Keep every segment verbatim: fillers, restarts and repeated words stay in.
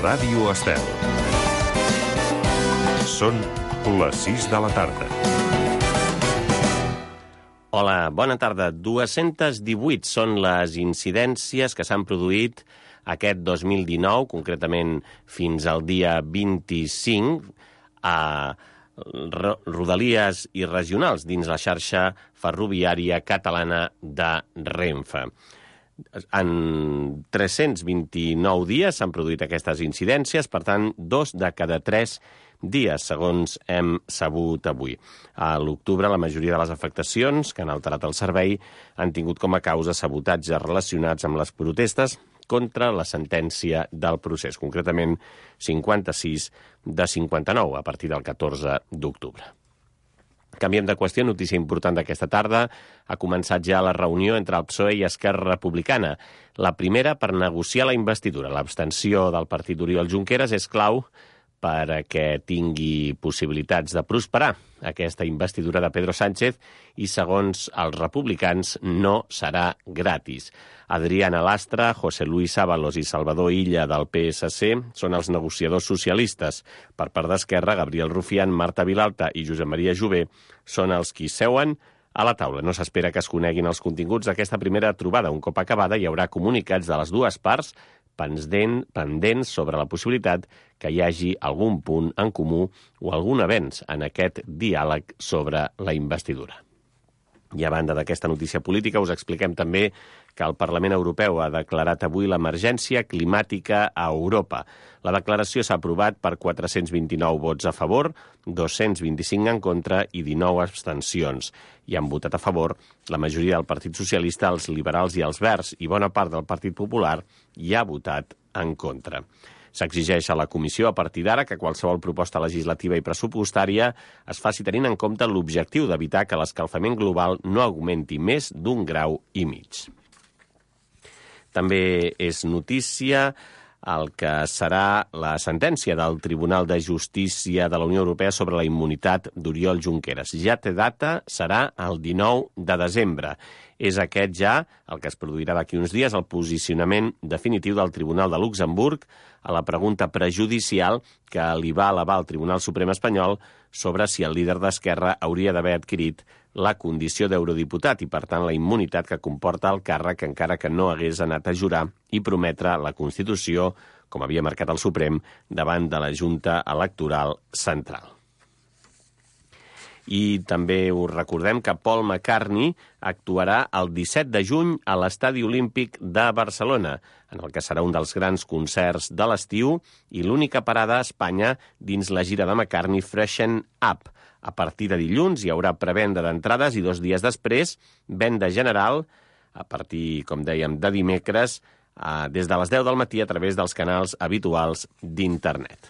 Ràdio Estel. Són les sis de la tarda. Hola, bona tarda. dues-centes divuit són les incidències que s'han produït aquest dos mil dinou, concretament fins al dia vint-i-cinc, a rodalies i regionals dins la xarxa ferroviària catalana de Renfe. En tres-cents vint-i-nou dies s'han produït aquestes incidències, per tant, dos de cada tres dies, segons hem sabut avui. A l'octubre, la majoria de les afectacions que han alterat el servei han tingut com a causa sabotatges relacionats amb les protestes contra la sentència del procés, concretament cinquanta-sis de cinquanta-nou, a partir del catorze d'octubre. Canviem de qüestió, notícia important d'aquesta tarda. Ha començat ja la reunió entre el P S O E i Esquerra Republicana. La primera per negociar la investidura. L'abstenció del partit d'Oriol Junqueras és clau perquè tingui possibilitats de prosperar aquesta investidura de Pedro Sánchez i, segons els republicans, no serà gratis. Adriana Lastra, José Luis Ábalos i Salvador Illa del P S C són els negociadors socialistes. Per part d'Esquerra, Gabriel Rufián, Marta Vilalta i Josep Maria Jové són els qui seuen a la taula. No s'espera que es coneguin els continguts d'aquesta primera trobada. Un cop acabada, hi haurà comunicats de les dues parts pendents sobre la possibilitat que hi hagi algun punt en comú o algun avenç en aquest diàleg sobre la investidura. I a banda d'aquesta notícia política, us expliquem també que el Parlament Europeu ha declarat avui l'emergència climàtica a Europa. La declaració s'ha aprovat per quatre-cents vint-i-nou vots a favor, dos-cents vint-i-cinc en contra i dinou abstencions. Hi han votat a favor la majoria del Partit Socialista, els liberals i els verds, i bona part del Partit Popular hi ha votat en contra. S'exigeix a la Comissió, a partir d'ara, que qualsevol proposta legislativa i pressupostària es faci tenint en compte l'objectiu d'evitar que l'escalfament global no augmenti més d'un grau i mig. També és notícia el que serà la sentència del Tribunal de Justícia de la Unió Europea sobre la immunitat d'Oriol Junqueras. Ja té data, serà el dinou de desembre. És aquest ja, el que es produirà d'aquí uns dies, el posicionament definitiu del Tribunal de Luxemburg a la pregunta prejudicial que li va elevar el Tribunal Suprem espanyol sobre si el líder d'Esquerra hauria d'haver adquirit la condició d'eurodiputat i, per tant, la immunitat que comporta el càrrec encara que no hagués anat a jurar i prometre la Constitució, com havia marcat el Suprem, davant de la Junta Electoral Central. I també us recordem que Paul McCartney actuarà el disset de juny a l'Estadi Olímpic de Barcelona, en el que serà un dels grans concerts de l'estiu i l'única parada a Espanya dins la gira de McCartney Freshen Up. A partir de dilluns hi haurà prevenda d'entrades i dos dies després, venda general, a partir, com dèiem, de dimecres, des de les deu del matí a través dels canals habituals d'internet.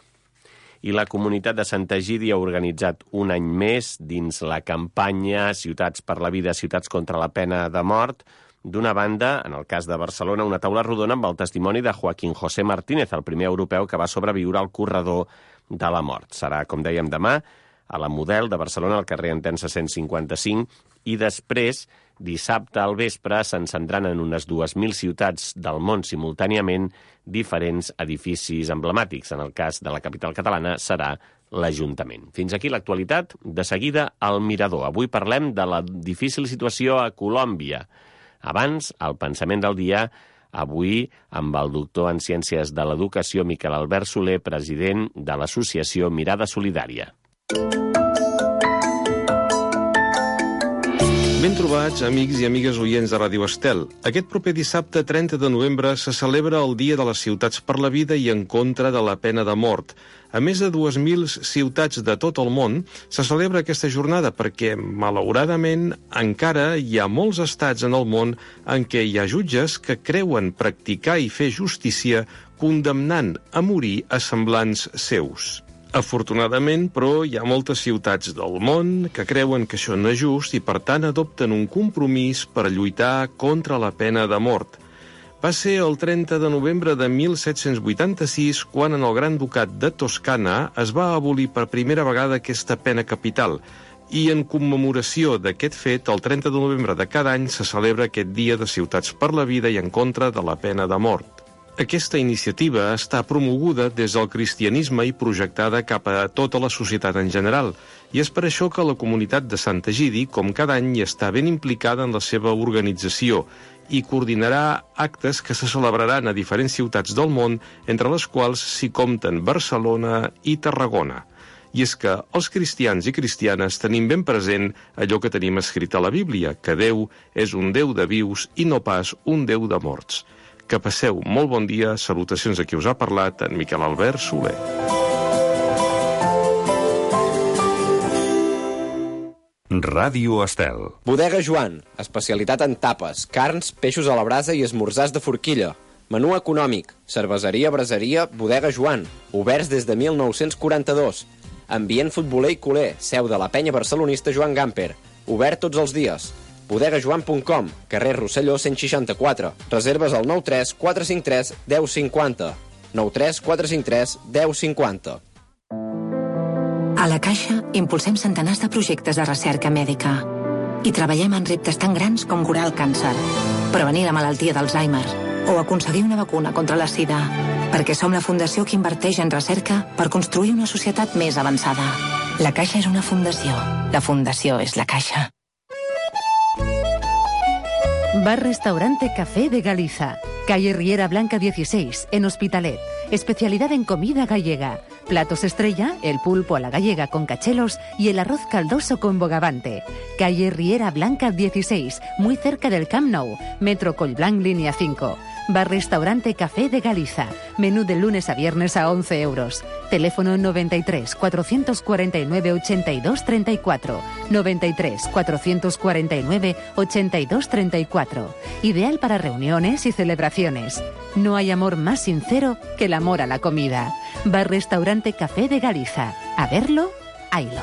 I la comunitat de Sant Egidi ha organitzat un any més dins la campanya Ciutats per la Vida, Ciutats contra la Pena de Mort. D'una banda, en el cas de Barcelona, una taula rodona amb el testimoni de Joaquín José Martínez, el primer europeu que va sobreviure al corredor de la mort. Serà, com dèiem, demà a la Model de Barcelona, al carrer Entença cent cinquanta-cinc, i després, dissabte al vespre, s'encendran en unes dues mil ciutats del món simultàniament diferents edificis emblemàtics. En el cas de la capital catalana serà l'Ajuntament. Fins aquí l'actualitat. De seguida, al Mirador. Avui parlem de la difícil situació a Colòmbia. Abans, el pensament del dia, avui amb el doctor en Ciències de l'Educació Miquel Albert Soler, president de l'associació Mirada Solidària. Ben trobats, amics i amigues oients de Ràdio Estel. Aquest proper dissabte, trenta de novembre, se celebra el Dia de les Ciutats per la Vida i en contra de la pena de mort. A més de dues mil ciutats de tot el món se celebra aquesta jornada perquè, malauradament, encara hi ha molts estats en el món en què hi ha jutges que creuen practicar i fer justícia condemnant a morir a semblants seus. Afortunadament, però, hi ha moltes ciutats del món que creuen que això no és just i, per tant, adopten un compromís per lluitar contra la pena de mort. Va ser el trenta de novembre de mil set-cents vuitanta-sis quan en el Gran Ducat de Toscana es va abolir per primera vegada aquesta pena capital i en commemoració d'aquest fet, el trenta de novembre de cada any se celebra aquest Dia de Ciutats per la Vida i en contra de la pena de mort. Aquesta iniciativa està promoguda des del cristianisme i projectada cap a tota la societat en general, i és per això que la comunitat de Sant Egidi, com cada any, està ben implicada en la seva organització i coordinarà actes que se celebraran a diferents ciutats del món, entre les quals s'hi compten Barcelona i Tarragona. I és que els cristians i cristianes tenim ben present allò que tenim escrit a la Bíblia, que Déu és un Déu de vius i no pas un Déu de morts. Que passeu molt bon dia, salutacions a qui us ha parlat, en Miquel Albert Soler. Ràdio Estel. Bodega Joan, especialitat en tapes, carns, peixos a la brasa i esmorzars de forquilla. Menú econòmic, cerveseria, braseria, Bodega Joan, oberts des de mil nou-cents quaranta-dos. Ambient futboler i culer, seu de la penya barcelonista Joan Gamper, obert tots els dies. bodega joan punt com, carrer Rosselló cent seixanta-quatre. Reserves al nou tres quatre cinc tres deu cinquanta. nou tres quatre cinc tres deu cinquanta. A la Caixa impulsem centenars de projectes de recerca mèdica i treballem en reptes tan grans com curar el càncer, prevenir la malaltia d'Alzheimer o aconseguir una vacuna contra la sida, perquè som la fundació que inverteix en recerca per construir una societat més avançada. La Caixa és una fundació. La fundació és la Caixa. Bar Restaurante Café de Galiza, calle Riera Blanca dieciséis, en Hospitalet. Especialidad en comida gallega. Platos estrella, el pulpo a la gallega con cachelos y el arroz caldoso con bogavante. Calle Riera Blanca dieciséis, muy cerca del Camp Nou. Metro Collblanc, línea cinco. Bar Restaurante Café de Galiza. Menú de lunes a viernes a once euros. Teléfono noventa y tres cuatrocientos cuarenta y nueve ochenta y dos treinta y cuatro. noventa y tres cuatrocientos cuarenta y nueve ochenta y dos treinta y cuatro. Ideal para reuniones y celebraciones. No hay amor más sincero que el amor a la comida. Bar Restaurante Café de Galiza. A verlo, haylo.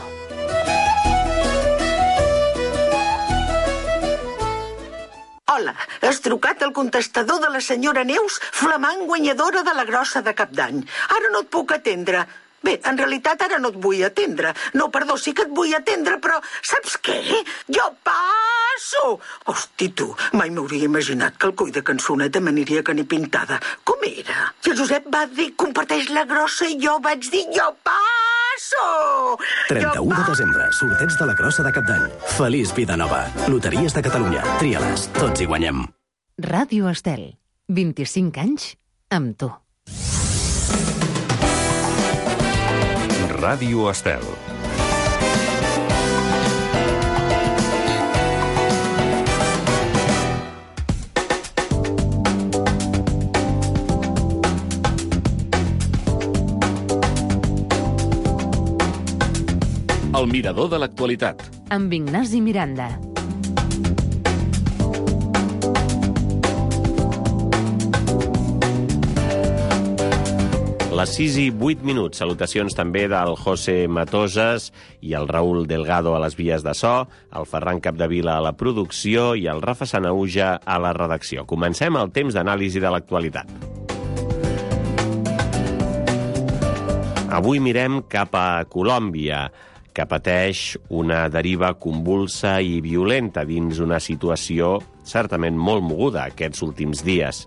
Hola, has trucat al contestador de la senyora Neus, flamant guanyadora de la grossa de Cap d'Any. Ara no et puc atendre. Bé, en realitat ara no et vull atendre. No, perdó, sí que et vull atendre, però saps què? Jo passo! Hosti, tu, mai m'hauria imaginat que el coi de cançoneta m'aniria que ni pintada. Com era? I el Josep va dir, comparteix la grossa, i jo vaig dir, jo passo! trenta-u de desembre, sorteig de la grossa de Cap d'Any. Feliç vida nova. Loteries de Catalunya. Tria-les. Tots hi guanyem. Ràdio Estel. vint-i-cinc anys amb tu. Ràdio Estel. El mirador de l'actualitat. Amb Ignasi Miranda. Les sis i vuit minuts. Salutacions també del José Matoses i el Raül Delgado a les vies de so, el Ferran Capdevila a la producció i el Rafa Sanauja a la redacció. Comencem el temps d'anàlisi de l'actualitat. Avui mirem cap a Colòmbia, que pateix una deriva convulsa i violenta dins una situació certament molt moguda aquests últims dies.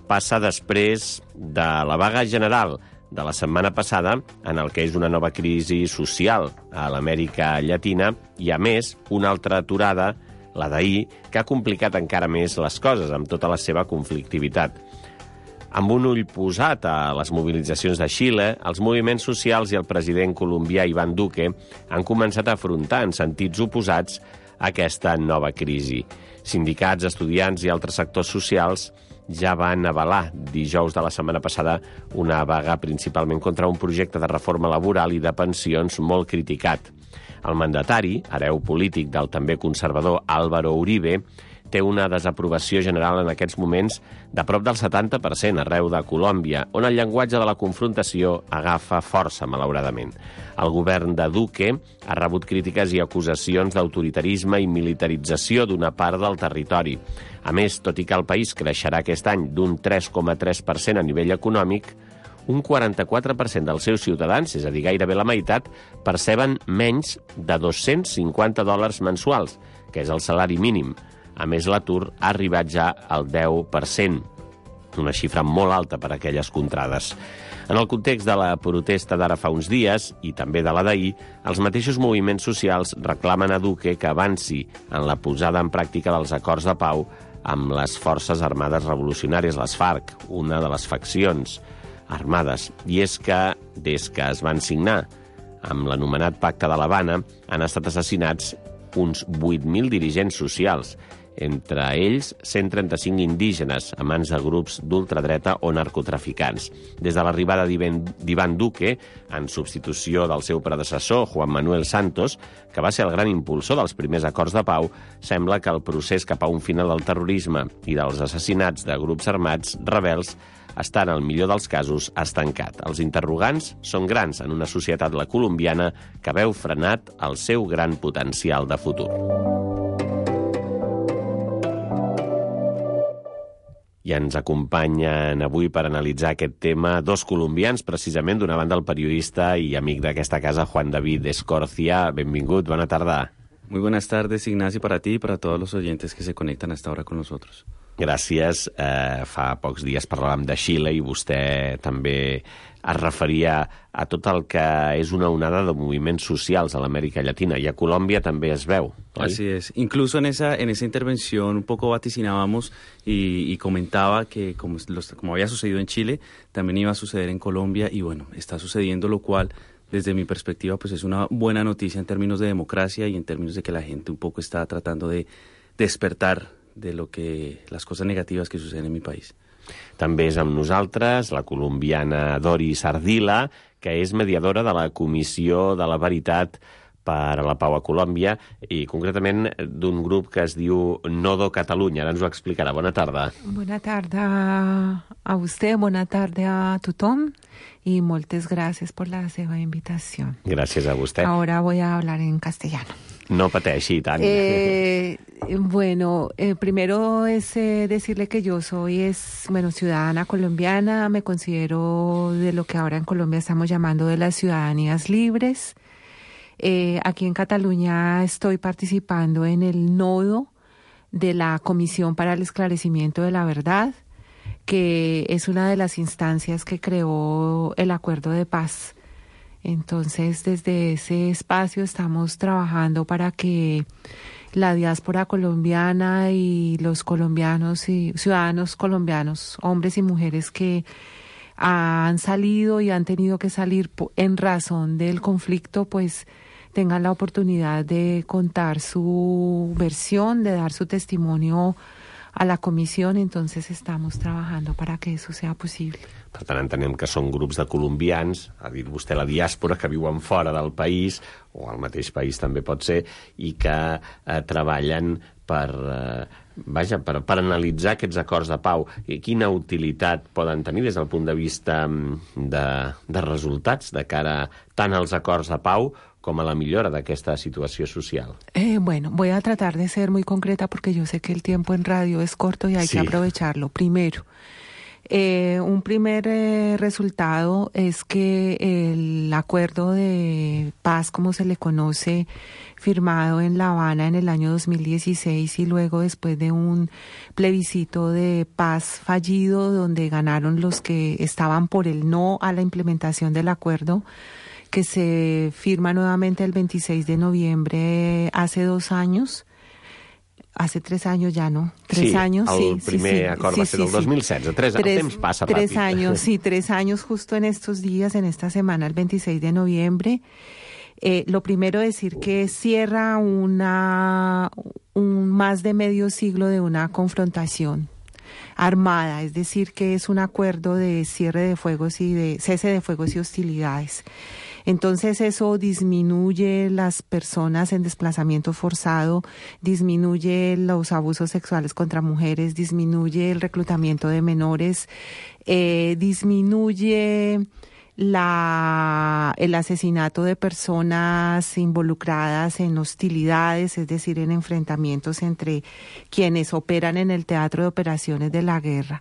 Passa després de la vaga general de la setmana passada, en el que és una nova crisi social a l'Amèrica Llatina, i a més una altra aturada, la d'ahir, que ha complicat encara més les coses amb tota la seva conflictivitat. Amb un ull posat a les mobilitzacions de Xile, els moviments socials i el president colombià Iván Duque han començat a afrontar en sentits oposats aquesta nova crisi. Sindicats, estudiants i altres sectors socials ja van avalar dijous de la setmana passada una vaga principalment contra un projecte de reforma laboral i de pensions molt criticat. El mandatari, hereu polític del també conservador Álvaro Uribe, té una desaprovació general en aquests moments de prop del setanta per cent arreu de Colòmbia, on el llenguatge de la confrontació agafa força, malauradament. El govern de Duque ha rebut crítiques i acusacions d'autoritarisme i militarització d'una part del territori. A més, tot i que el país creixerà aquest any d'un tres coma tres per cent a nivell econòmic, un quaranta-quatre per cent dels seus ciutadans, és a dir, gairebé la meitat, perceben menys de dos-cents cinquanta dòlars mensuals, que és el salari mínim. A més, l'atur ha arribat ja al deu per cent. una xifra molt alta per a aquelles contrades. En el context de la protesta d'ara fa uns dies, i també de la d'ahir, els mateixos moviments socials reclamen a Duque que avanci en la posada en pràctica dels acords de pau amb les Forces Armades Revolucionàries, les FARC, una de les faccions armades. I és que, des que es van signar amb l'anomenat Pacte de l'Havana, han estat assassinats uns vuit mil dirigents socials, entre ells cent trenta-cinc indígenes a mans de grups d'ultradreta o narcotraficants. Des de l'arribada d'Iván Duque, en substitució del seu predecessor, Juan Manuel Santos, que va ser el gran impulsor dels primers acords de pau, sembla que el procés cap a un final del terrorisme i dels assassinats de grups armats rebels està, en el millor dels casos, estancat. Els interrogants són grans en una societat, la colombiana, que veu frenat el seu gran potencial de futur. I ens acompanyen avui per analitzar aquest tema dos colombians, precisament, d'una banda el periodista i amic d'aquesta casa, Juan David Escorcia. Benvingut, bona tarda. Muy buenas tardes, Ignacio, para ti y para todos los oyentes que se conectan hasta ahora con nosotros. Gràcies. Eh, fa pocs dies parlàvem de Xile i vostè també es referia a tot el que és una onada de moviments socials a l'Amèrica Llatina, i a Colòmbia també es veu, oi? Así es. Incluso en esa, en esa intervención un poco vaticinábamos y, y comentaba que como, los, como había sucedido en Chile, también iba a suceder en Colombia, y bueno, está sucediendo, lo cual, desde mi perspectiva, pues es una buena noticia en términos de democracia y en términos de que la gente un poco está tratando de despertar de lo que las cosas negativas que suceden en mi país. També és amb nosaltres la colombiana Doris Ardila, que és mediadora de la Comissió de la Veritat per a la Pau a Colòmbia, i concretament d'un grup que es diu Nodo Catalunya. Ara ens ho explicarà. Bona tarda. Bona tarda a vostè, bona tarda a tothom, y muchas gracias por la seva invitación. Gràcies a vostè. Ahora voy a hablar en castellano. No pateixi tant. Eh, bueno, eh, primero es eh, decirle que yo soy es, bueno, ciudadana colombiana, me considero de lo que ahora en Colombia estamos llamando de las ciudadanías libres. Eh, aquí en Cataluña estoy participando en el nodo de la Comisión para el Esclarecimiento de la Verdad, que es una de las instancias que creó el Acuerdo de Paz. Entonces, desde ese espacio estamos trabajando para que la diáspora colombiana y los colombianos y ciudadanos colombianos, hombres y mujeres que han salido y han tenido que salir en razón del conflicto, pues tengan la oportunidad de contar su versión, de dar su testimonio a la comisión. Entonces estamos trabajando para que eso sea posible. Per tant, entenem que són grups de colombians, ha dit vostè la diàspora, que viuen fora del país, o al mateix país també pot ser, i que eh, treballen per, eh, vaja, per, per analitzar aquests acords de pau. I quina utilitat poden tenir des del punt de vista de, de resultats de cara tant als acords de pau com a la millora d'aquesta situació social? Eh, bueno, voy a tratar de ser muy concreta porque yo sé que el tiempo en radio es corto y hay sí. que aprovecharlo. Primero, eh, un primer eh, resultado es que el acuerdo de paz, como se le conoce, firmado en La Habana en el año dos mil dieciséis, y luego después de un plebiscito de paz fallido donde ganaron los que estaban por el no a la implementación del acuerdo, que se firma nuevamente el veintiséis de noviembre hace dos años, hace tres años ya, ¿no? Tres sí, años, sí. El primer sí, acord sí, va ser sí, el dos mil setze, tres, tres, el temps passa tres ràpid. Tres años, sí, tres años justo en estos días, en esta semana, el veintiséis de noviembre. Eh, lo primero decir que cierra una, un más de medio siglo de una confrontación armada, es decir, que es un acuerdo de cierre de fuegos y de cese de fuegos y hostilidades. Entonces eso disminuye las personas en desplazamiento forzado, disminuye los abusos sexuales contra mujeres, disminuye el reclutamiento de menores, eh, disminuye la, el asesinato de personas involucradas en hostilidades, es decir, en enfrentamientos entre quienes operan en el teatro de operaciones de la guerra.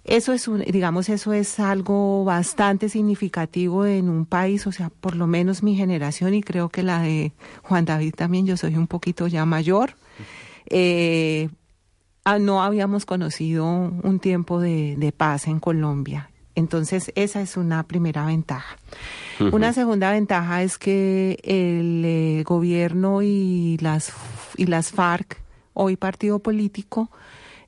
Eso es un, digamos, eso es algo bastante significativo en un país, o sea, por lo menos mi generación, y creo que la de Juan David también, yo soy un poquito ya mayor. Eh, no habíamos conocido un tiempo de, de paz en Colombia. Entonces, esa es una primera ventaja. Uh-huh. Una segunda ventaja es que el eh, gobierno y las, y las FARC, hoy partido político,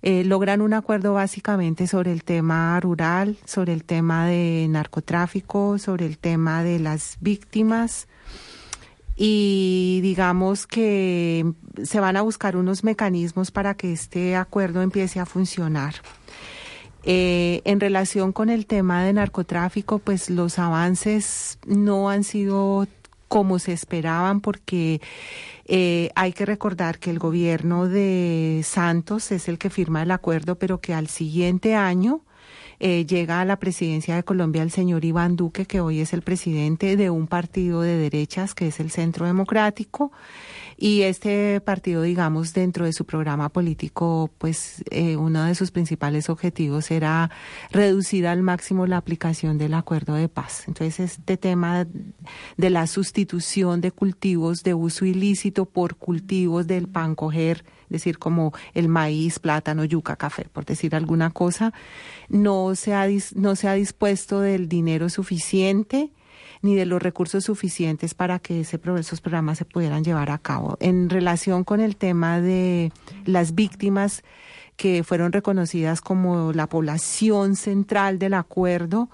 eh, logran un acuerdo básicamente sobre el tema rural, sobre el tema de narcotráfico, sobre el tema de las víctimas, y digamos que se van a buscar unos mecanismos para que este acuerdo empiece a funcionar. Eh, en relación con el tema de narcotráfico, pues los avances no han sido como se esperaban, porque eh, hay que recordar que el gobierno de Santos es el que firma el acuerdo, pero que al siguiente año eh, llega a la presidencia de Colombia el señor Iván Duque, que hoy es el presidente de un partido de derechas, que es el Centro Democrático. Y este partido, digamos, dentro de su programa político, pues eh, uno de sus principales objetivos era reducir al máximo la aplicación del acuerdo de paz. Entonces, este tema de la sustitución de cultivos de uso ilícito por cultivos del pan coger, es decir, como el maíz, plátano, yuca, café, por decir alguna cosa, no se ha, no se ha dispuesto del dinero suficiente ni de los recursos suficientes para que ese, esos programas se pudieran llevar a cabo. En relación con el tema de las víctimas que fueron reconocidas como la población central del acuerdo,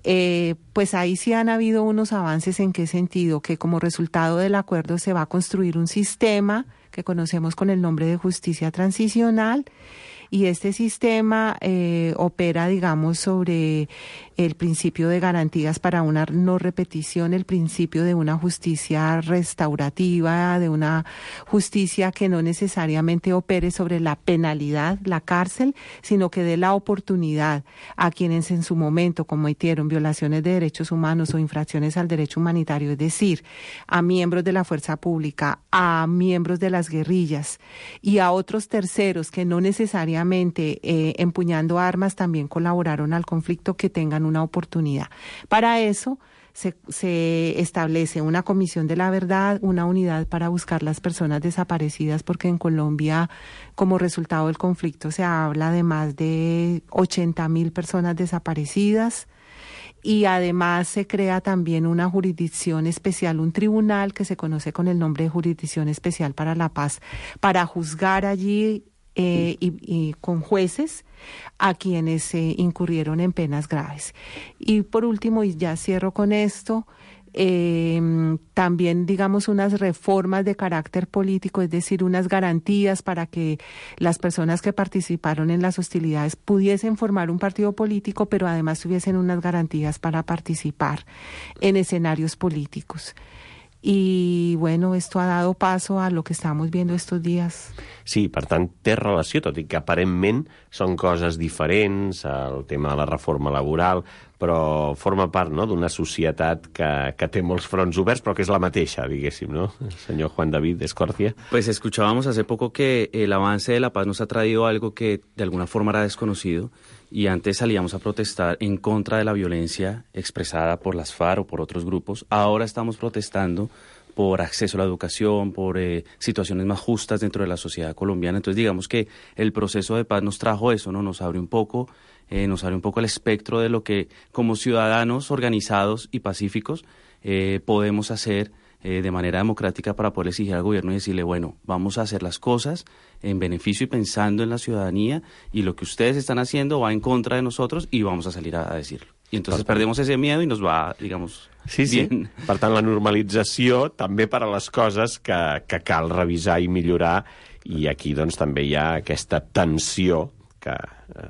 eh, pues ahí sí han habido unos avances. ¿En qué sentido? Que como resultado del acuerdo se va a construir un sistema que conocemos con el nombre de justicia transicional, y este sistema eh, opera, digamos, sobre el principio de garantías para una no repetición, el principio de una justicia restaurativa, de una justicia que no necesariamente opere sobre la penalidad, la cárcel, sino que dé la oportunidad a quienes en su momento cometieron violaciones de derechos humanos o infracciones al derecho humanitario, es decir, a miembros de la fuerza pública, a miembros de las guerrillas y a otros terceros que no necesariamente eh, empuñando armas también colaboraron al conflicto, que tengan una oportunidad. Para eso se, se establece una comisión de la verdad, una unidad para buscar las personas desaparecidas, porque en Colombia, como resultado del conflicto, se habla de más de ochenta mil personas desaparecidas. Y además se crea también una jurisdicción especial, un tribunal que se conoce con el nombre de Jurisdicción Especial para la Paz, para juzgar allí eh, y, y con jueces a quienes eh, incurrieron en penas graves. Y por último, y ya cierro con esto, Eh, también, digamos, unas reformas de carácter político, es decir, unas garantías para que las personas que participaron en las hostilidades pudiesen formar un partido político, pero además tuviesen unas garantías para participar en escenarios políticos. I, bueno, esto ha dado paso a lo que estamos viendo estos días. Sí, per tant, té relació, tot i que aparentment són coses diferents, el tema de la reforma laboral, però forma part, no?, d'una societat que, que té molts fronts oberts, però que és la mateixa, diguéssim, ¿no? Señor Juan David Escorcia. Pues escuchábamos hace poco que el avance de la paz nos ha traído algo que de alguna forma era desconocido, y antes salíamos a protestar en contra de la violencia expresada por las FARC o por otros grupos. Ahora estamos protestando por acceso a la educación, por eh, situaciones más justas dentro de la sociedad colombiana. Entonces, digamos que el proceso de paz nos trajo eso, ¿no? Nos abre un poco, eh, nos abre un poco el espectro de lo que como ciudadanos organizados y pacíficos eh, podemos hacer eh, de manera democrática para poder exigir al gobierno y decirle, bueno, vamos a hacer las cosas en beneficio y pensando en la ciudadanía, y lo que ustedes están haciendo va en contra de nosotros y vamos a salir a, a decirlo. I entonces perdemos ese miedo y nos va, digamos, sí, sí. bien. Per tant, la normalització també per a les coses que, que cal revisar i millorar, i aquí doncs també hi ha aquesta tensió que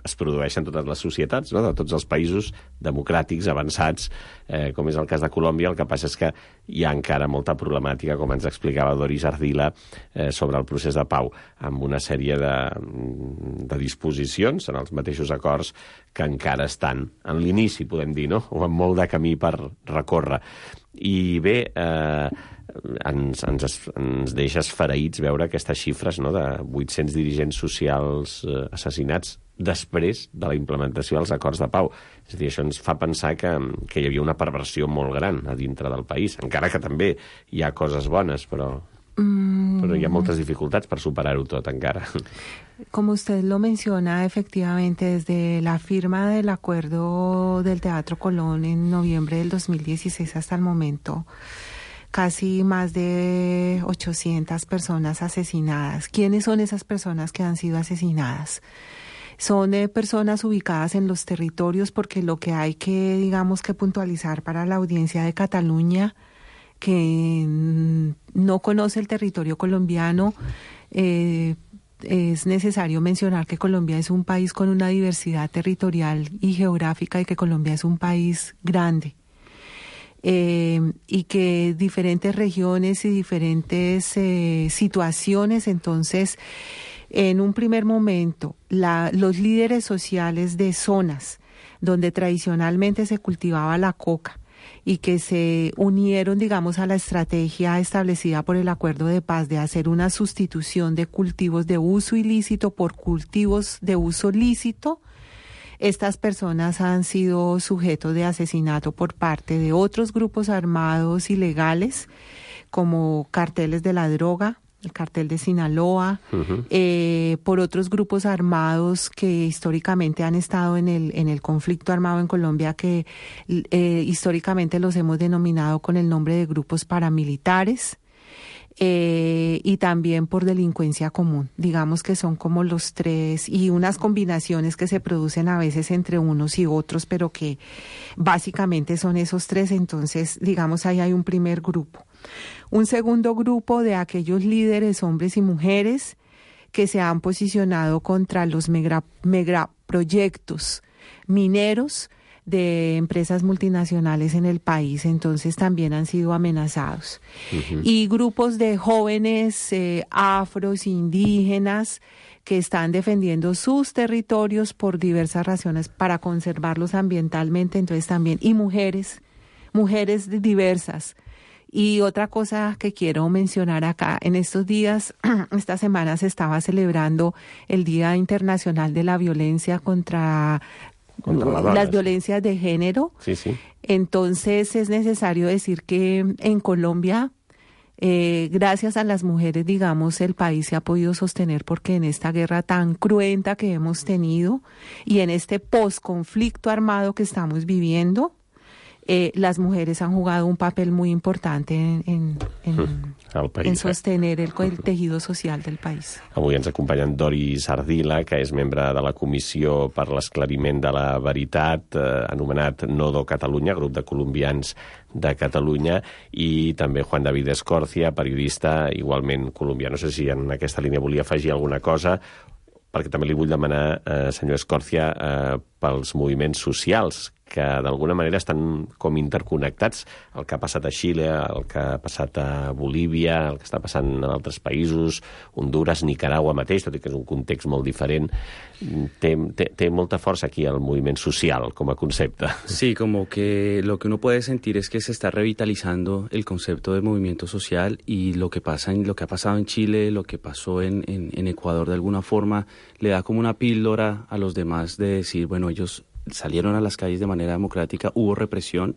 es produeix en totes les societats, no?, de tots els països democràtics, avançats, eh, com és el cas de Colòmbia. El que passa és que hi ha encara molta problemàtica, com ens explicava Doris Ardila, eh, sobre el procés de pau, amb una sèrie de, de disposicions en els mateixos acords que encara estan en l'inici, podem dir, no?, o amb molt de camí per recórrer. I bé, eh, ens, ens, ens deixa esfereïts veure aquestes xifres, no?, de vuit-cents dirigents socials eh, assassinats després de la implementació dels acords de pau. És a dir, això ens fa pensar que, que hi havia una perversió molt gran a dintre del país, encara que també hi ha coses bones, però... Mm. Però hi ha moltes dificultats per superar-ho tot encara. Como usted lo menciona, efectivamente, desde la firma del acuerdo del Teatro Colón en noviembre del dos mil dieciséis hasta el momento, casi más de ochocientas personas asesinadas. ¿Quiénes son esas personas que han sido asesinadas? Son eh, personas ubicadas en los territorios, porque lo que hay que, digamos, que puntualizar para la audiencia de Cataluña, que no conoce el territorio colombiano, eh, es necesario mencionar que Colombia es un país con una diversidad territorial y geográfica, y que Colombia es un país grande. Eh, y que diferentes regiones y diferentes eh, situaciones, entonces, en un primer momento, la, los líderes sociales de zonas donde tradicionalmente se cultivaba la coca y que se unieron, digamos, a la estrategia establecida por el Acuerdo de Paz de hacer una sustitución de cultivos de uso ilícito por cultivos de uso lícito, estas personas han sido sujetos de asesinato por parte de otros grupos armados ilegales, como carteles de la droga, el cartel de Sinaloa, uh-huh. eh, por otros grupos armados que históricamente han estado en el en el conflicto armado en Colombia, que eh, históricamente los hemos denominado con el nombre de grupos paramilitares, eh, y también por delincuencia común. Digamos que son como los tres, y unas combinaciones que se producen a veces entre unos y otros, pero que básicamente son esos tres. Entonces, digamos, ahí hay un primer grupo. Un segundo grupo de aquellos líderes, hombres y mujeres, que se han posicionado contra los mega, megaproyectos mineros de empresas multinacionales en el país, entonces también han sido amenazados. Uh-huh. Y grupos de jóvenes eh, afros, indígenas, que están defendiendo sus territorios por diversas razones para conservarlos ambientalmente, entonces también, y mujeres, mujeres diversas. Y otra cosa que quiero mencionar acá, en estos días, esta semana se estaba celebrando el Día Internacional de la Violencia contra, contra la las violencias de género. Sí, sí. Entonces es necesario decir que en Colombia, eh, gracias a las mujeres, digamos, el país se ha podido sostener, porque en esta guerra tan cruenta que hemos tenido y en este posconflicto armado que estamos viviendo, Eh, las mujeres han jugado un papel muy importante en, en, en, país, en sostener el, el tejido social del país. Avui ens acompanyen Doris Ardila, que és membre de la Comissió per l'Esclariment de la Veritat, eh, anomenat Nodo Catalunya, grup de colombians de Catalunya, i també Juan David Escorcia, periodista igualment colombià. No sé si en aquesta línia volia afegir alguna cosa, perquè també li vull demanar, eh, senyor Escorcia, eh, pels moviments socials, que d'alguna manera estan com interconnectats. El que ha passat a Xile, el que ha passat a Bolívia, el que està passant en altres països, Honduras, Nicaragua mateix, tot i que és un context molt diferent. Té, té, té molta força aquí el moviment social com a concepte. Sí, como que lo que uno puede sentir es que se está revitalizando el concepto de movimiento social, y lo que pasa en, lo que ha pasado en Chile, lo que pasó en, en, en Ecuador, de alguna forma le da como una píldora a los demás de decir, bueno, ellos salieron a las calles de manera democrática, hubo represión,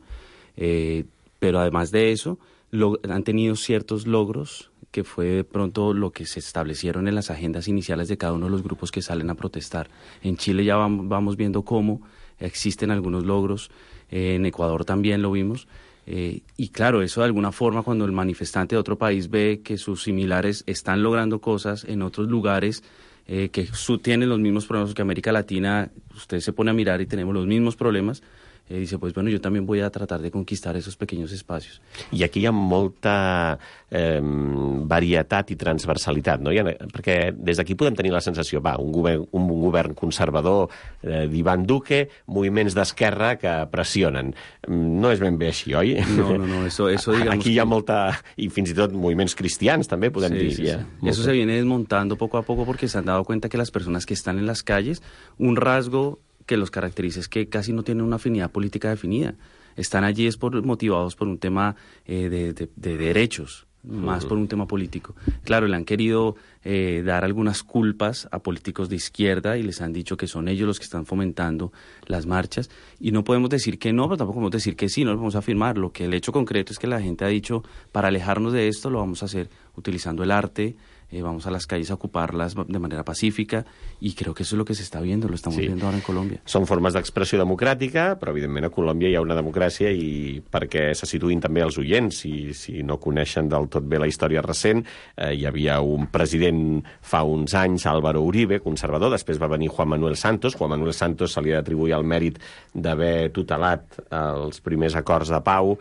eh, pero además de eso lo, han tenido ciertos logros, que fue de pronto lo que se establecieron en las agendas iniciales de cada uno de los grupos que salen a protestar. En Chile ya vamos, vamos viendo cómo existen algunos logros, eh, en Ecuador también lo vimos, eh, y claro, eso de alguna forma, cuando el manifestante de otro país ve que sus similares están logrando cosas en otros lugares, Eh, que su, tienen los mismos problemas que América Latina, usted se pone a mirar y tenemos los mismos problemas, eh, dice, pues bueno, yo también voy a tratar de conquistar esos pequeños espacios. I aquí hi ha molta eh, varietat i transversalitat, no? Ha, perquè des d'aquí podem tenir la sensació, va, un govern, un, un govern conservador eh, d'Ivan Duque, moviments d'esquerra que pressionen. No és ben bé així, oi? No, no, no, eso, eso digamos... Aquí hi ha molta... i fins i tot moviments cristians també, podem sí, dir. Sí, ja. sí. Eso se viene desmontando poco a poco, porque se han dado cuenta que las personas que están en las calles, un rasgo que los caracteriza es que casi no tienen una afinidad política definida. Están allí es por, motivados por un tema eh, de, de, de derechos, más por un tema político. Claro, le han querido eh, dar algunas culpas a políticos de izquierda y les han dicho que son ellos los que están fomentando las marchas, y no podemos decir que no, pero tampoco podemos decir que sí, no lo podemos afirmar. Lo que el hecho concreto es que la gente ha dicho, para alejarnos de esto lo vamos a hacer utilizando el arte, eh, vamos a las calles a ocuparlas de manera pacífica, i creo que eso es lo que se está viendo, lo estamos sí. viendo ahora en Colòmbia. Són formes d'expressió democràtica, però evidentment a Colòmbia hi ha una democràcia, i perquè se situïn també els oients, si, si no coneixen del tot bé la història recent, eh, hi havia un president fa uns anys, Álvaro Uribe, conservador, després va venir Juan Manuel Santos. Juan Manuel Santos se li ha d'atribuir el mèrit d'haver tutelat els primers acords de pau.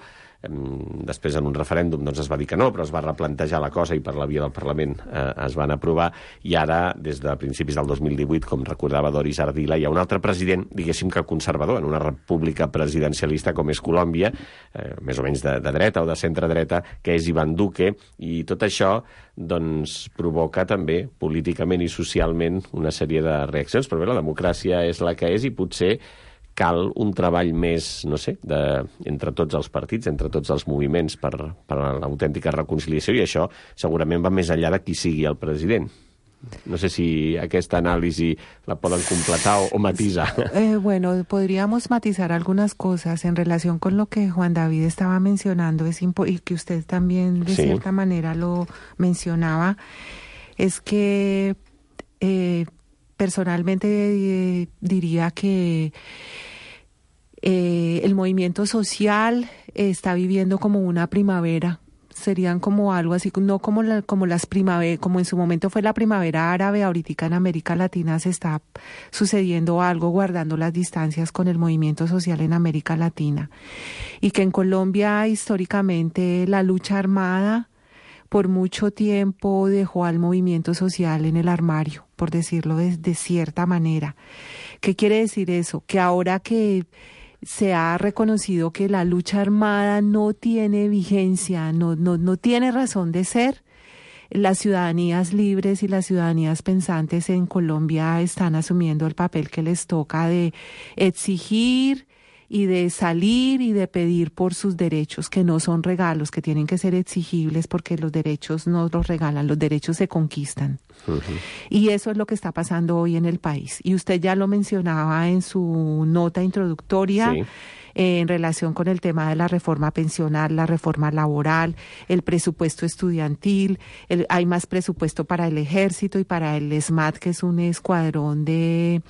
Després, en un referèndum, doncs es va dir que no, però es va replantejar la cosa i per la via del Parlament eh, es van aprovar, i ara, des de principis del dos mil divuit, com recordava Doris Ardila, hi ha un altre president, diguéssim que conservador, en una república presidencialista com és Colòmbia, eh, més o menys de, de dreta o de centre-dreta, que és Iván Duque, i tot això doncs provoca també políticament i socialment una sèrie de reaccions, però bé, la democràcia és la que és i potser cal un treball més, no sé, de, entre tots els partits, entre tots els moviments per, per l'autèntica reconciliació, i això segurament va més enllà de qui sigui el president. No sé si aquesta anàlisi la poden completar o, o matisar. Eh, bueno, podríamos matizar algunas cosas en relación con lo que Juan David estaba mencionando, es impo- y que usted también de sí. cierta manera lo mencionaba, es que eh, personalmente eh, diría que eh, el movimiento social está viviendo como una primavera. Serían como algo así, no como la, como las primaveras, como en su momento fue la primavera árabe, ahorita en América Latina se está sucediendo algo, guardando las distancias con el movimiento social en América Latina. Y que en Colombia históricamente la lucha armada por mucho tiempo dejó al movimiento social en el armario, por decirlo de, de cierta manera. ¿Qué quiere decir eso? Que ahora que se ha reconocido que la lucha armada no tiene vigencia, no, no, no tiene razón de ser, las ciudadanías libres y las ciudadanías pensantes en Colombia están asumiendo el papel que les toca de exigir y de salir y de pedir por sus derechos, que no son regalos, que tienen que ser exigibles, porque los derechos no los regalan, los derechos se conquistan. Uh-huh. Y eso es lo que está pasando hoy en el país. Y usted ya lo mencionaba en su nota introductoria, sí. eh, en relación con el tema de la reforma pensional, la reforma laboral, el presupuesto estudiantil, el, hay más presupuesto para el ejército y para el ESMAD, que es un escuadrón de...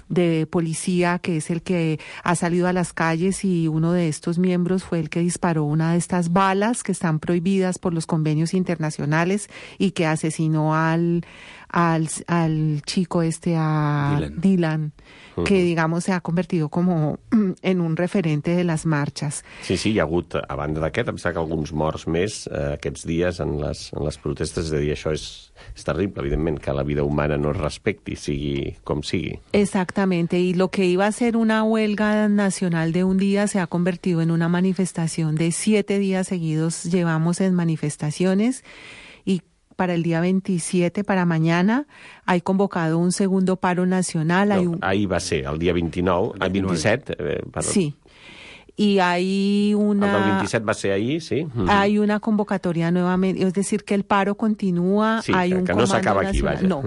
de policía, que es el que ha salido a las calles, y uno de estos miembros fue el que disparó una de estas balas que están prohibidas por los convenios internacionales y que asesinó al al, al chico este, a Dylan, Dylan uh-huh. que digamos se ha convertido como en un referente de les marxes. Sí, sí, hi ha hagut, a banda d'aquest, em sembla que alguns morts més eh, aquests dies en les, en les protestes, és a dir, això és, és terrible, evidentment, que la vida humana no es respecti, sigui com sigui. Exactamente, y lo que iba a ser una huelga nacional de un día se ha convertido en una manifestación de siete días seguidos, llevamos en manifestaciones, y para el día veintisiete, para mañana, hay convocado un segundo paro nacional. No, hay un... ahí va a ser, el dia vint-i-nou, el vint-i-set, eh, perdó. Sí. Y hay una... El del veintisiete va a ser ahí, sí. Uh-huh. Hay una convocatoria nuevamente, es decir, que el paro continúa, sí, hay un que no s'acaba aquí, vaja. No,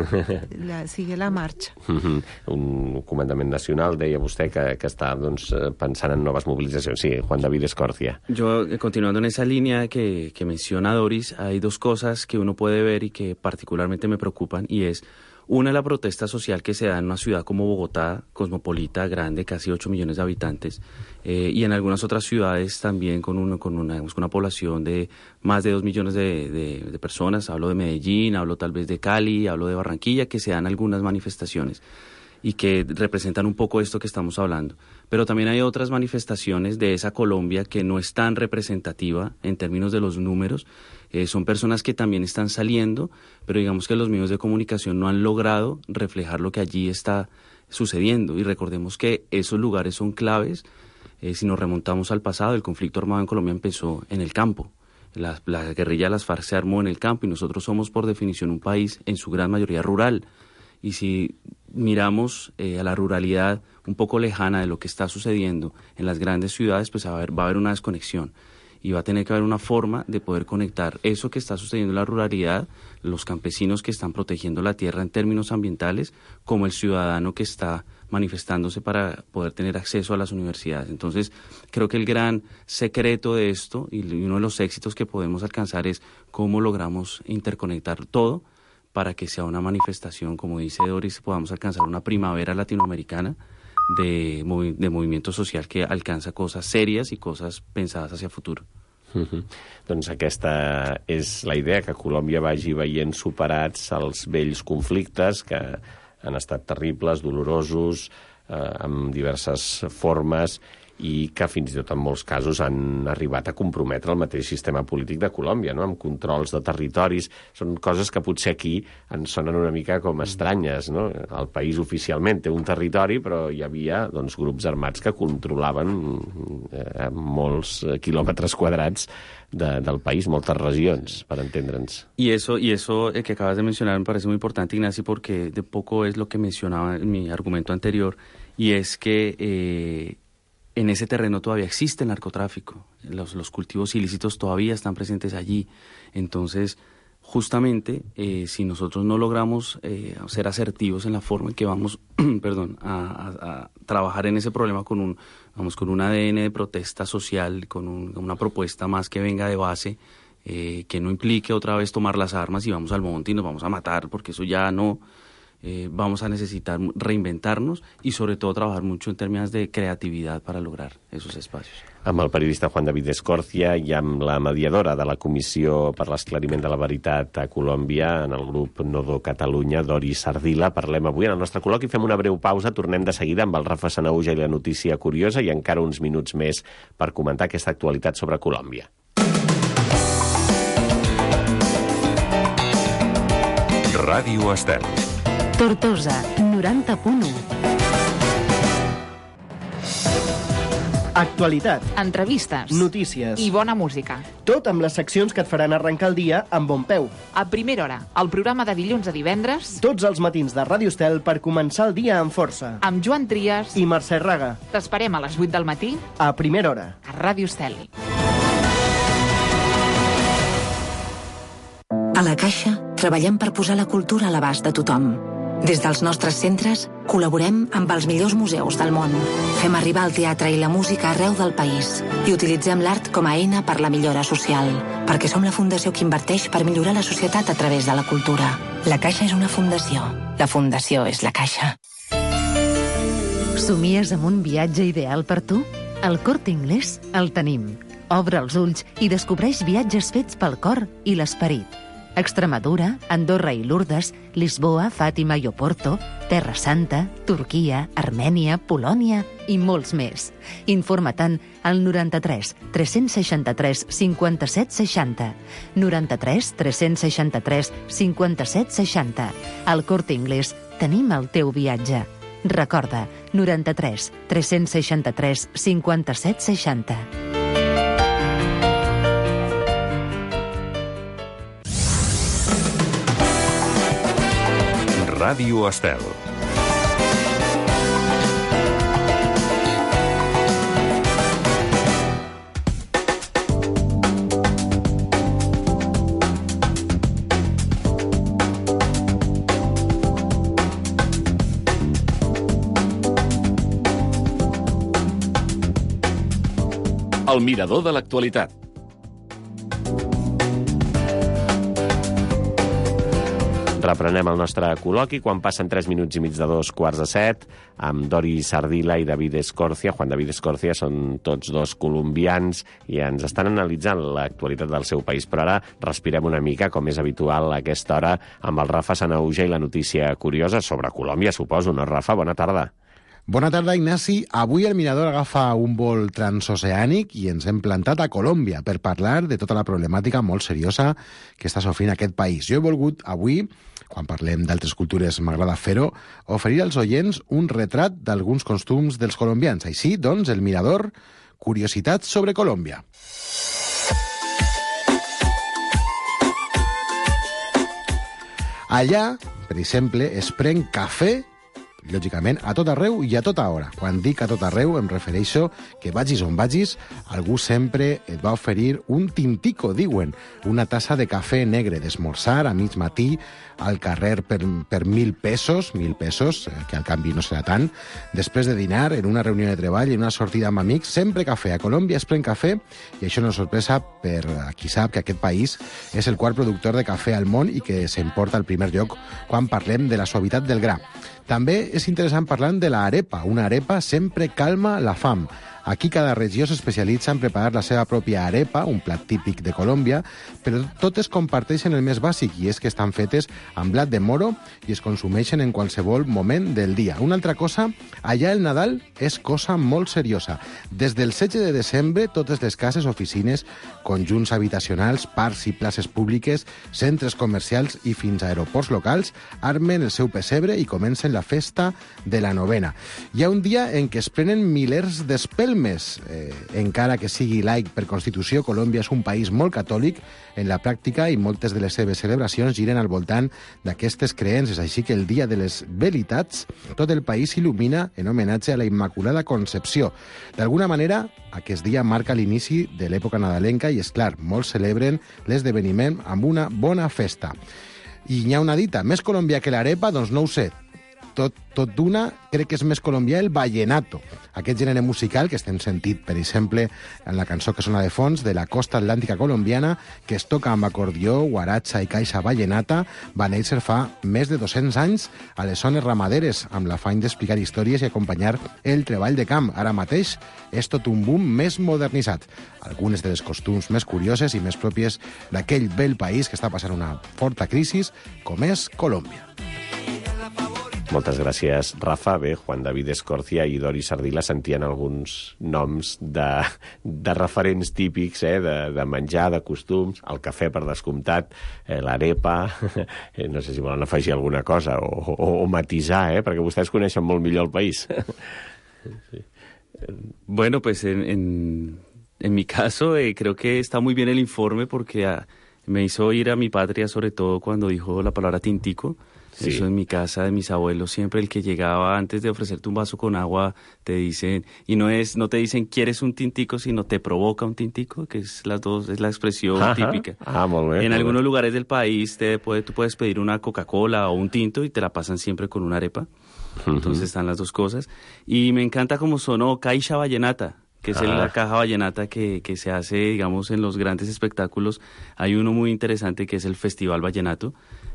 la, sigue la marxa. Uh-huh. Un comandament nacional, deia vostè, que, que està doncs, pensant en noves movilitzacions. Sí, Juan David Escorcia. Yo, continuando en esa línea que, que menciona Doris, hay dos cosas que uno puede ver y que particularmente me preocupan, y es... Una, la protesta social que se da en una ciudad como Bogotá, cosmopolita, grande, casi ocho millones de habitantes, eh, y en algunas otras ciudades también con, uno, con, una, con una población de más de dos millones de, de, de personas. Hablo de Medellín, hablo tal vez de Cali, hablo de Barranquilla, que se dan algunas manifestaciones y que representan un poco esto que estamos hablando. Pero también hay otras manifestaciones de esa Colombia que no es tan representativa en términos de los números. Eh, son personas que también están saliendo, pero digamos que los medios de comunicación no han logrado reflejar lo que allí está sucediendo. Y recordemos que esos lugares son claves. Eh, si nos remontamos al pasado, el conflicto armado en Colombia empezó en el campo. La, la guerrilla de las FARC se armó en el campo, y nosotros somos por definición un país en su gran mayoría rural. Y si miramos eh, a la ruralidad un poco lejana de lo que está sucediendo en las grandes ciudades, pues va a haber, va a haber una desconexión. y va a tener que haber una forma de poder conectar eso que está sucediendo en la ruralidad, los campesinos que están protegiendo la tierra en términos ambientales, como el ciudadano que está manifestándose para poder tener acceso a las universidades. Entonces, creo que el gran secreto de esto y uno de los éxitos que podemos alcanzar es cómo logramos interconectar todo para que sea una manifestación, como dice Doris, podamos alcanzar una primavera latinoamericana de, movi- de movimiento social que alcanza cosas serias y cosas pensadas hacia futuro. Uh-huh. Doncs aquesta és la idea, que Colòmbia vagi veient superats els vells conflictes que han estat terribles, dolorosos, eh, amb diverses formes, i que fins i tot en molts casos han arribat a comprometre el mateix sistema polític de Colòmbia, no? Amb controls de territoris. Són coses que potser aquí ens sonen una mica com estranyes, no? El país oficialment té un territori, però hi havia doncs, grups armats que controlaven eh, molts quilòmetres quadrats de, del país, moltes regions, per entendre'ns. Y eso, y eso eh, que acabas de mencionar me parece muy importante, Ignacio, porque de poco es lo que mencionaba en mi argumento anterior, y es que eh, en ese terreno todavía existe el narcotráfico, los, los cultivos ilícitos todavía están presentes allí. Entonces, justamente, eh, si nosotros no logramos eh, ser asertivos en la forma en que vamos perdón, a, a, a trabajar en ese problema con un, vamos, con un A D N de protesta social, con un, una propuesta más que venga de base, eh, que no implique otra vez tomar las armas y vamos al monte y nos vamos a matar, porque eso ya no... Eh, vamos a necesitar reinventarnos y sobre todo trabajar mucho en términos de creatividad para lograr esos espacios. Amb el periodista Juan David Escorcia i amb la mediadora de la Comissió per l'Esclariment de la Veritat a Colòmbia en el grup Nodo Catalunya, Doris Ardila, parlem avui en el nostre col·loqui. Fem una breu pausa, tornem de seguida amb el Rafa Sanahuja i la notícia curiosa i encara uns minuts més per comentar aquesta actualitat sobre Colòmbia. Ràdio Estel. Tortosa, noranta punt u. Actualitat, entrevistes, notícies i bona música. Tot amb les seccions que et faran arrencar el dia amb bon peu. A primera hora, el programa de dilluns a divendres. Tots els matins de Ràdio Estel per començar el dia amb força. Amb Joan Trias i Mercè Raga. T'esperem a les vuit del matí. A primera hora. A Ràdio Estel. A la Caixa treballem per posar la cultura a l'abast de tothom. Des dels nostres centres, col·laborem amb els millors museus del món. Fem arribar el teatre i la música arreu del país i utilitzem l'art com a eina per la millora social, perquè som la fundació que inverteix per millorar la societat a través de la cultura. La Caixa és una fundació. La fundació és la Caixa. Somies amb un viatge ideal per tu? Al Corte Inglés el tenim. Obre els ulls i descobreix viatges fets pel cor i l'esperit. Extremadura, Andorra i Lourdes, Lisboa, Fàtima i Oporto, Terra Santa, Turquia, Armènia, Polònia i molts més. Informa-te'n al noranta-tres tres-cents seixanta-tres cinquanta-set seixanta. noranta-tres tres-cents seixanta-tres cinquanta-set seixanta. Al Corte Inglés tenim el teu viatge. Recorda, noranta-tres tres-cents seixanta-tres cinquanta-set seixanta. Ràdio Estel. El mirador de l'actualitat. Reprenem el nostre col·loqui quan passen tres minuts i mig de dos quarts de set amb Doris Ardila i David Escorcia. Juan David Escorcia són tots dos colombians i ens estan analitzant l'actualitat del seu país. Però ara respirem una mica, com és habitual a aquesta hora, amb el Rafa Sanahuja i la notícia curiosa sobre Colòmbia, suposo, no, Rafa? Bona tarda. Bona tarda, Ignasi. Avui el Mirador agafa un vol transoceànic i ens hem plantat a Colòmbia per parlar de tota la problemàtica molt seriosa que està sofrint aquest país. Jo he volgut avui, quan parlem d'altres cultures m'agrada fer-ho, oferir als oients un retrat d'alguns costums dels colombians. Així, doncs, el Mirador, curiositats sobre Colòmbia. Allà, per exemple, es pren cafè lògicament, a tot arreu i a tota hora. Quan dic a tot arreu em refereixo que vagis on vagis, algú sempre et va oferir un tintico, diuen, una tassa de cafè negre d'esmorzar a mig matí al carrer per, per mil pesos, mil pesos, que al canvi no serà tant, després de dinar, en una reunió de treball, en una sortida amb amics, sempre cafè. A Colòmbia es pren cafè i això no és sorpresa per a qui sap que aquest país és el quart productor de cafè al món i que s'emporta al primer lloc quan parlem de la suavitat del gra. També és interessant parlar de l'arepa. Una arepa sempre calma la fam. Aquí cada regió s'especialitza en preparar la seva pròpia arepa, un plat típic de Colòmbia, però totes comparteixen el més bàsic, i és que estan fetes amb blat de moro i es consumeixen en qualsevol moment del dia. Una altra cosa, allà el Nadal és cosa molt seriosa. Des del setze de desembre, totes les cases, oficines, conjunts habitacionals, parcs i places públiques, centres comercials i fins a aeroports locals armen el seu pessebre i comencen la festa de la novena. Hi ha un dia en què es prenen milers d'espelmes. Eh, encara que sigui laic per Constitució, Colòmbia és un país molt catòlic en la pràctica i moltes de les seves celebracions giren al voltant d'aquestes creences. Així que el dia de les Veritats, tot el país s'il·lumina en homenatge a la Immaculada Concepció. D'alguna manera, aquest dia marca l'inici de l'època nadalenca i, és clar, molts celebren l'esdeveniment amb una bona festa. I n'hi ha una dita, més colombià que l'arepa? Doncs no ho sé. Tot, tot d'una, crec que és més colombià el vallenato, aquest gènere musical que estem sentit, per exemple, en la cançó que sona de fons de la costa atlàntica colombiana, que es toca amb acordió, guaratxa i caixa vallenata, va néixer fa més de dos-cents anys a les zones ramaderes, amb l'afany d'explicar històries i acompanyar el treball de camp. Ara mateix és tot un boom més modernitzat. Algunes de les costums més curioses i més pròpies d'aquell bell país que està passant una forta crisi, com és Colòmbia. Moltes gràcies, Rafa. Bé, Juan David Escorcia i Doris Ardila sentien alguns noms de, de referents típics, eh, de, de menjar, de costums, el cafè per descomptat, eh, l'arepa, eh, no sé si volen afegir alguna cosa o, o, o matisar, eh, perquè vostès coneixen molt millor el país. Sí. Bueno, pues en, en, en mi caso eh, creo que está muy bien el informe porque ah, me hizo ir a mi patria, sobre todo cuando dijo la palabra tintico. Sí. Eso en mi casa, de mis abuelos, siempre el que llegaba antes de ofrecerte un vaso con agua, te dicen, y no es, no te dicen ¿quieres un tintico?, sino te provoca un tintico, que es las dos, es la expresión Ajá. típica. Ah, muy bien, en muy algunos bien. lugares del país te puede, tú puedes pedir una Coca-Cola o un tinto y te la pasan siempre con una arepa. Uh-huh. Entonces están las dos cosas. Y me encanta cómo sonó Caixa Vallenata, que es ah. la caja vallenata que, que se hace, digamos, en los grandes espectáculos. Hay uno muy interesante que es el Festival Vallenato,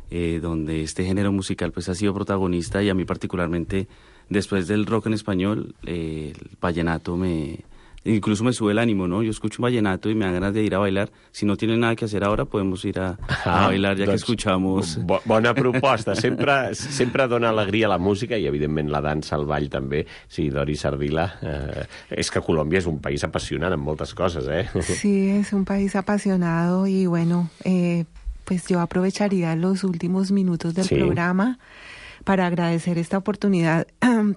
Eh, donde este género musical pues ha sido protagonista, y a mí particularmente después del rock en español eh, el vallenato me incluso me sube el ánimo, ¿no? Yo escucho un vallenato y me dan ganas de ir a bailar. Si no tienen nada que hacer ahora, podemos ir a, a ah, bailar, ya doncs, que escuchamos... Bo, bona proposta. Sempre, sempre dona alegria a la música i, evidentment, la dansa, el ball també. Sí, Doris Ardila, eh, és que Colòmbia és un país apassionant en moltes coses, eh? Sí, es un país apasionado y, bueno... Eh, pues yo aprovecharía los últimos minutos del sí. programa para agradecer esta oportunidad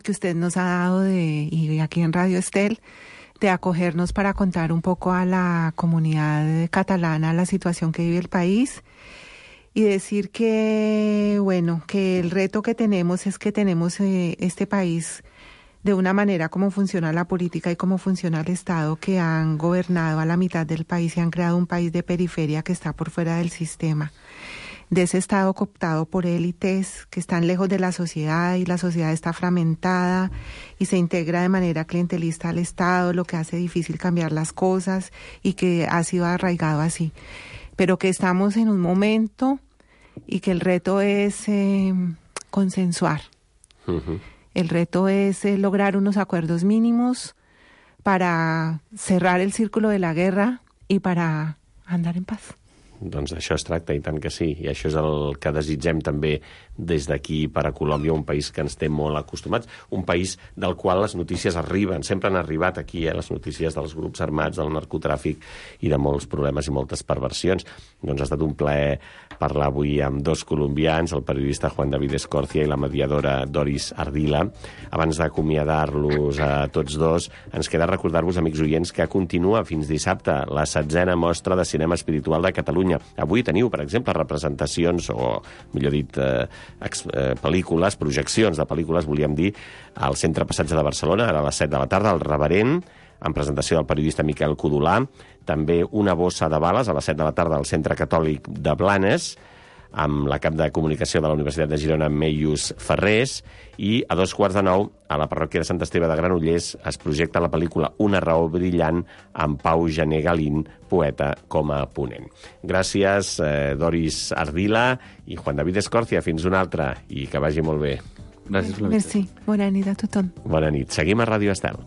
que usted nos ha dado de, y aquí en Radio Estel, de acogernos para contar un poco a la comunidad catalana la situación que vive el país y decir que, bueno, que el reto que tenemos es que tenemos eh, este país de una manera como funciona la política y cómo funciona el Estado, que han gobernado a la mitad del país y han creado un país de periferia que está por fuera del sistema, de ese Estado cooptado por élites que están lejos de la sociedad, y la sociedad está fragmentada y se integra de manera clientelista al Estado, lo que hace difícil cambiar las cosas y que ha sido arraigado así. Pero que estamos en un momento y que el reto es eh, consensuar. Uh-huh. El reto es eh, lograr unos acuerdos mínimos para cerrar el círculo de la guerra y para andar en paz. Doncs d'això es tracta, i tant que sí. I això és el que desitgem també des d'aquí per a Colòmbia, un país que ens té molt acostumats, un país del qual les notícies arriben, sempre han arribat aquí, eh, les notícies dels grups armats, del narcotràfic i de molts problemes i moltes perversions. Doncs ha estat un plaer parlar avui amb dos colombians, el periodista Juan David Escorcia i la mediadora Doris Ardila. Abans d'acomiadar-los a tots dos, ens queda recordar-vos, amics oients, que continua fins dissabte la setzena mostra de cinema espiritual de Catalunya, Catalunya. Avui teniu, per exemple, representacions, o millor dit, eh, ex, eh, pel·lícules, projeccions de pel·lícules, volíem dir, al Centre Passatge de Barcelona, ara a les set de la tarda, el Reverent, en presentació del periodista Miquel Codolà, també Una bossa de bales, a les set de la tarda, al Centre Catòlic de Blanes, amb la cap de comunicació de la Universitat de Girona, Meius Ferrés, i a dos quarts de nou, a la parròquia de Sant Esteve de Granollers, es projecta la pel·lícula Una raó brillant, amb Pau Gené Galín, poeta, com a ponent. Gràcies, eh, Doris Ardila i Juan David Escorcia. Fins una altra, i que vagi molt bé. Gràcies per la Merci. Bona nit a tothom. Bona nit. Seguim a Ràdio Estel.